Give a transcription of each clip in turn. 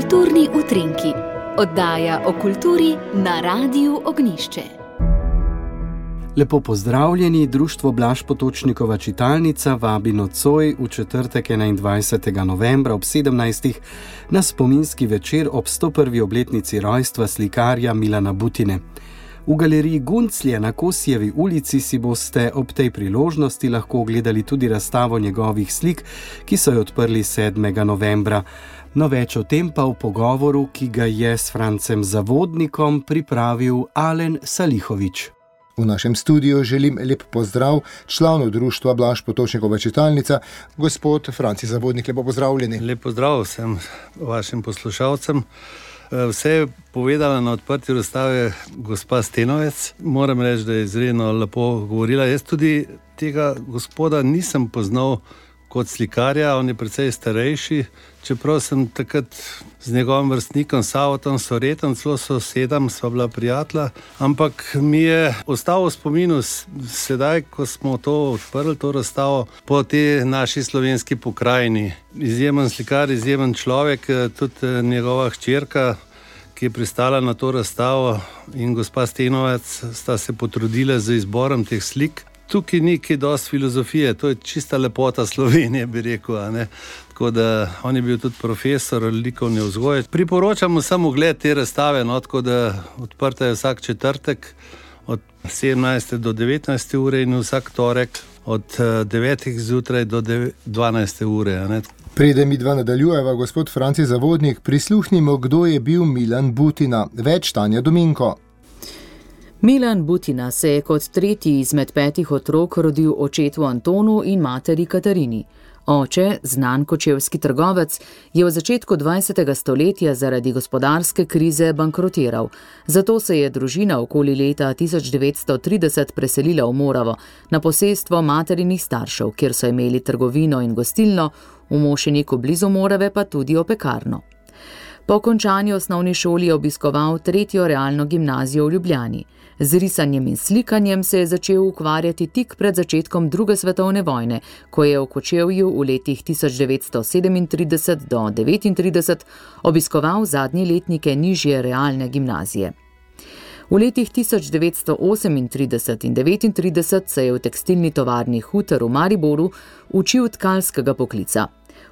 Kulturni utrinki, oddaja o kulturi na Radiu Ognjišče. Lepo pozdravljeni, Društvo Blaž Potočnikova čitalnica vabi nocoj v četrtek 21. novembra ob 17. na spominski večer ob 101. obletnici rojstva slikarja Milana Butine. V galeriji Gunclje na Kosijevi ulici si boste ob tej priložnosti lahko ogledali tudi razstavo njegovih slik, ki so jo odprli 7. novembra. No, več o tem pa v pogovoru, ki ga je s Francem Zavodnikom pripravil Alen Salihović. V našem studiu želim lep pozdrav članu Društva Blaž Potočnikova čitalnica, gospod Franci Zavodnik. Lepo pozdravljeni. Lep pozdrav vsem vašim poslušalcem. Vse je povedala na odprti razstave gospa Stenovec. Moram reči, da je izredno lepo govorila. Jaz tudi tega gospoda nisem poznal kot slikarja, on je precej starejši, čeprav sem takrat z njegovim vrstnikom Savotom Soretom, celo sosedam, sva bila prijatelja, ampak mi je ostal v spominu sedaj, ko smo to odprli, to razstavo, po tej naši slovenski pokrajini. Izjemen slikar, izjemen človek, tudi njegova hčerka, ki je pristala na to razstavo, in gospa Stenovec sta se potrudila z izborom teh slik. Tukaj ni kaj dosti filozofije, to je čista lepota Slovenije, bi rekel, a ne? Tako da on je bil tudi profesor likovne vzgoje. Priporočamo samo ogled te razstave, no, tako da odprta je vsak četrtek od 17. do 19. ure in vsak torek od 9. zjutraj do 12. ure, a ne? Preden midva nadaljujeva, gospod Franci Zavodnik, prisluhnimo, kdo je bil Milan Butina. Več Tanja Dominko. Milan Butina se je kot tretji izmed 5 otrok rodil očetu Antonu in materi Katarini. Oče, znan kočevski trgovec, je v začetku 20. stoletja zaradi gospodarske krize bankrotiral. Zato se je družina okoli leta 1930 preselila v Moravo, na posestvo materinih staršev, kjer so imeli trgovino in gostilno, v Mošeniku blizu Morave pa tudi opekarno. Po končani osnovni šoli je obiskoval 3. realno gimnazijo v Ljubljani. Z risanjem in slikanjem se je začel ukvarjati tik pred začetkom druge svetovne vojne, ko je v Kočevju v letih 1937 do 1939 obiskoval zadnje letnike nižje realne gimnazije. V letih 1938 in 1939 se je v tekstilni tovarni Hutar v Mariboru učil tkalskega poklica.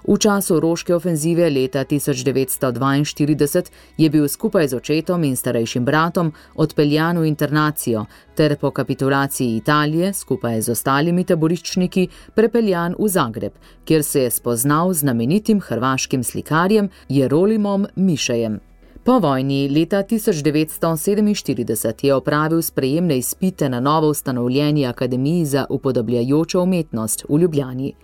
V času Roške ofenzive leta 1942 je bil skupaj z očetom in starejšim bratom odpeljan v internacijo ter po kapitulaciji Italije skupaj z ostalimi taboriščniki prepeljan v Zagreb, kjer se je spoznal z znamenitim hrvaškim slikarjem Jerolimom Mišejem. Po vojni leta 1947 je opravil sprejemne izpite na novo ustanovljeni Akademiji za upodobljajočo umetnost v Ljubljani.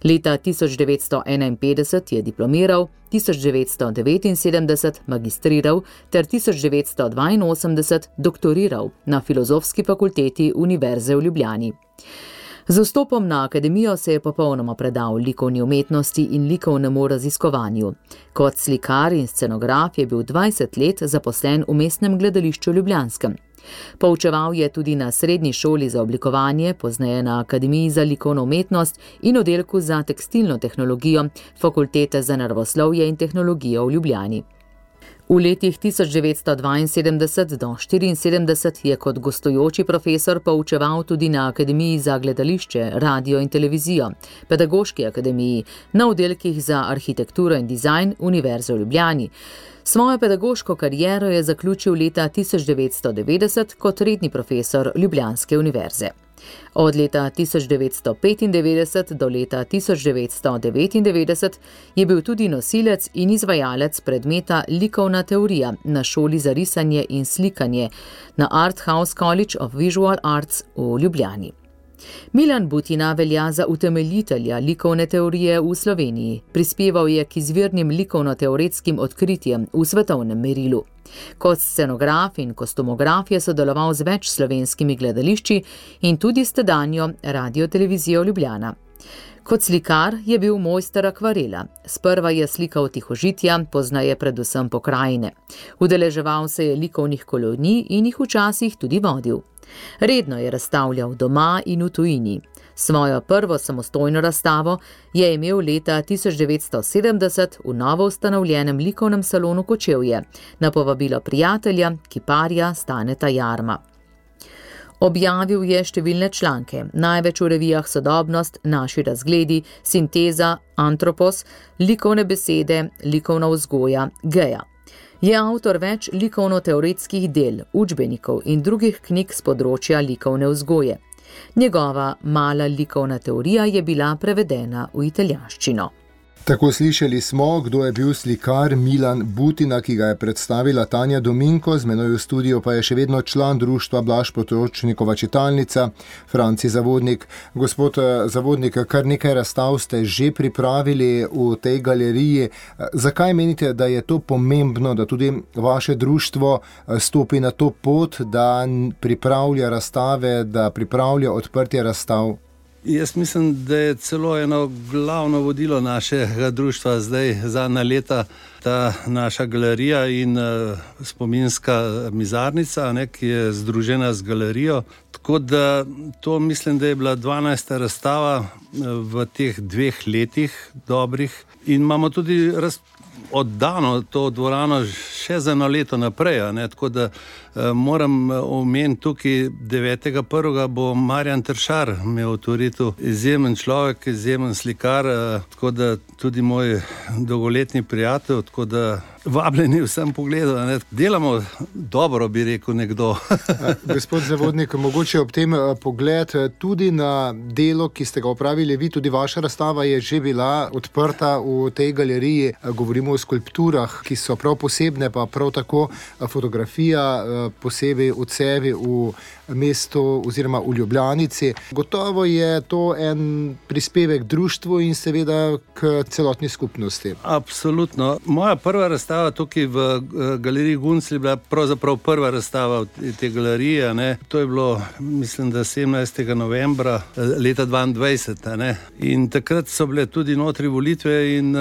Leta 1951 je diplomiral, 1979 magistriral ter 1982 doktoriral na Filozofski fakulteti Univerze v Ljubljani. Z vstopom na akademijo se je popolnoma predal likovni umetnosti in likovnemu raziskovanju. Kot slikar in scenograf je bil 20 let zaposlen v Mestnem gledališču Ljubljanskem. Poučeval je tudi na srednji šoli za oblikovanje, pozneje na Akademiji za likovno umetnost in oddelku za tekstilno tehnologijo Fakultete za naravoslovje in tehnologijo v Ljubljani. V letih 1972 do 1974 je kot gostujoči profesor poučeval tudi na Akademiji za gledališče, radio in televizijo, Pedagoški akademiji, na oddelkih za arhitekturo in dizajn Univerze v Ljubljani. Svojo pedagoško kariero je zaključil leta 1990 kot redni profesor Ljubljanske univerze. Od leta 1995 do leta 1999 je bil tudi nosilec in izvajalec predmeta likovna teorija na šoli za risanje in slikanje na Art House College of Visual Arts v Ljubljani. Milan Butina velja za utemeljitelja likovne teorije v Sloveniji. Prispeval je k izvirnim likovno-teoretskim odkritjem v svetovnem merilu. Kot scenograf in kostumograf je sodeloval z več slovenskimi gledališči in tudi s tedanjo radiotelevizijo Ljubljana. Kot slikar je bil mojster akvarela. Sprva je slikal tihožitja, poznaje predvsem pokrajine. Udeleževal se je likovnih kolonij in jih včasih tudi vodil. Redno je razstavljal doma in v tujini. Svojo prvo samostojno razstavo je imel leta 1970 v novo ustanovljenem likovnem salonu Kočevje na povabilo prijatelja, kiparja Staneta Jarma. Objavil je številne članke, največ v revijah Sodobnost, Naši razgledi, Sinteza, Antropos, Likovne besede, Likovna vzgoja, Geja. Je avtor več likovno-teoretskih del, učbenikov in drugih knjig s področja likovne vzgoje. Njegova mala likovna teorija je bila prevedena v italijanščino. Tako slišali smo, kdo je bil slikar Milan Butina, ki ga je predstavila Tanja Dominko, z menoj v studiu pa je še vedno član društva Blaž Potočnikova čitalnica, Franci Zavodnik. Gospod Zavodnik, kar nekaj razstav ste že pripravili v tej galeriji. Zakaj menite, da je to pomembno, da tudi vaše društvo stopi na to pot, da pripravlja razstave, da pripravlja odprtje razstav? Jaz mislim, da je celo eno glavno vodilo našega društva zdaj zadnja leta ta naša galerija in spominska mizarnica, ki je združena z galerijo. Tako da to mislim, da je bila 12. razstava v teh 2 letih dobrih in imamo tudi oddano to dvorano še za eno leto naprej. Tako da moram omeniti tukaj 9.1. bo Marjan Tršar imel avtoriteto, izjemen človek, izjemen slikar, tako da tudi moj dolgoletni prijatelj, tako da vabljeni vsem pogledov. Delamo dobro, bi rekel nekdo. Gospod Zavodnik, mogoče ob tem pogled tudi na delo, ki ste ga opravili vi, tudi vaša razstava je že bila odprta v tej galeriji. Govorimo o skulpturah, ki so prav posebne, pa prav tako fotografija, posebej odsevi v mestu oziroma v Ljubljanici. Gotovo je to en prispevek društvu in seveda k celotni skupnosti. Absolutno. Moja prva razstava tukaj v galeriji Guncelj je bila pravzaprav prva razstava te galerije. To je bilo, mislim, da 17. novembra leta 2022. In takrat so bile tudi notri volitve in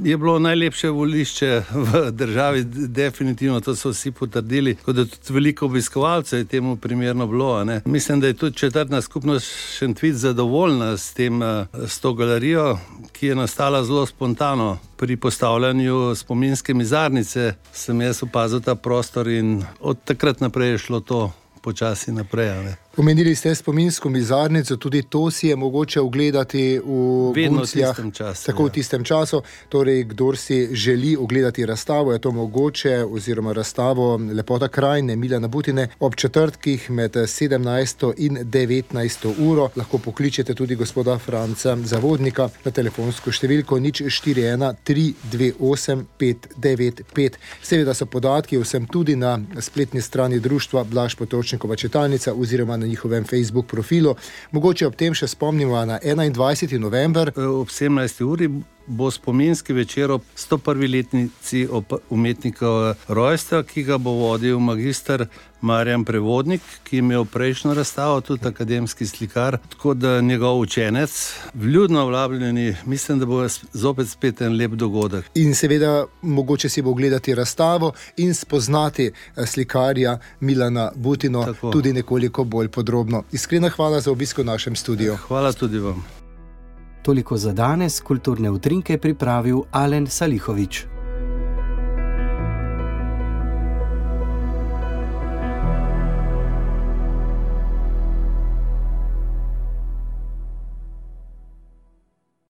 je bilo najlepše volišče v državi, definitivno, to so vsi potrdili, tako da tudi veliko obiskovalcev je temu primerno bilo. Mislim, da je tudi četrtna skupnost Šentvid zadovoljna s to galerijo, ki je nastala zelo spontano. Pri postavljanju spominske mizarnice sem jaz opazil ta prostor in od takrat naprej je šlo to počasi naprej. Omenili ste spominsko mizarnico, tudi to si je mogoče ogledati v Guncljah. Tako v tistem času. Torej, kdor si želi ogledati razstavo, je to mogoče, oziroma razstavo Lepota krajine Milana Butine ob četrtkih med 17. in 19. uro. Lahko pokličete tudi gospoda Franca Zavodnika na telefonsko številko 041 328 595. Seveda so podatki vsem tudi na spletni strani društva Blaž Potočnikova čitalnica oziroma na njihovem Facebook profilu. Mogoče ob tem še spomnimo na 21. november. Ob 17. uri bo spominski večer ob 101. letnici umetnikov rojstva, ki ga bo vodil magister Marjan Prevodnik, ki je imel prejšnjo razstavo, tudi akademski slikar, tako da njegov učenec. Vljudno vabljeni, mislim, da bo zopet spet en lep dogodek. In seveda mogoče si bo gledati razstavo in spoznati slikarja Milana Butino tudi nekoliko bolj podrobno. Iskrena hvala za obisk v našem studiu. Hvala tudi vam. Toliko za danes, kulturne utrinke pripravil Alen Salihovič.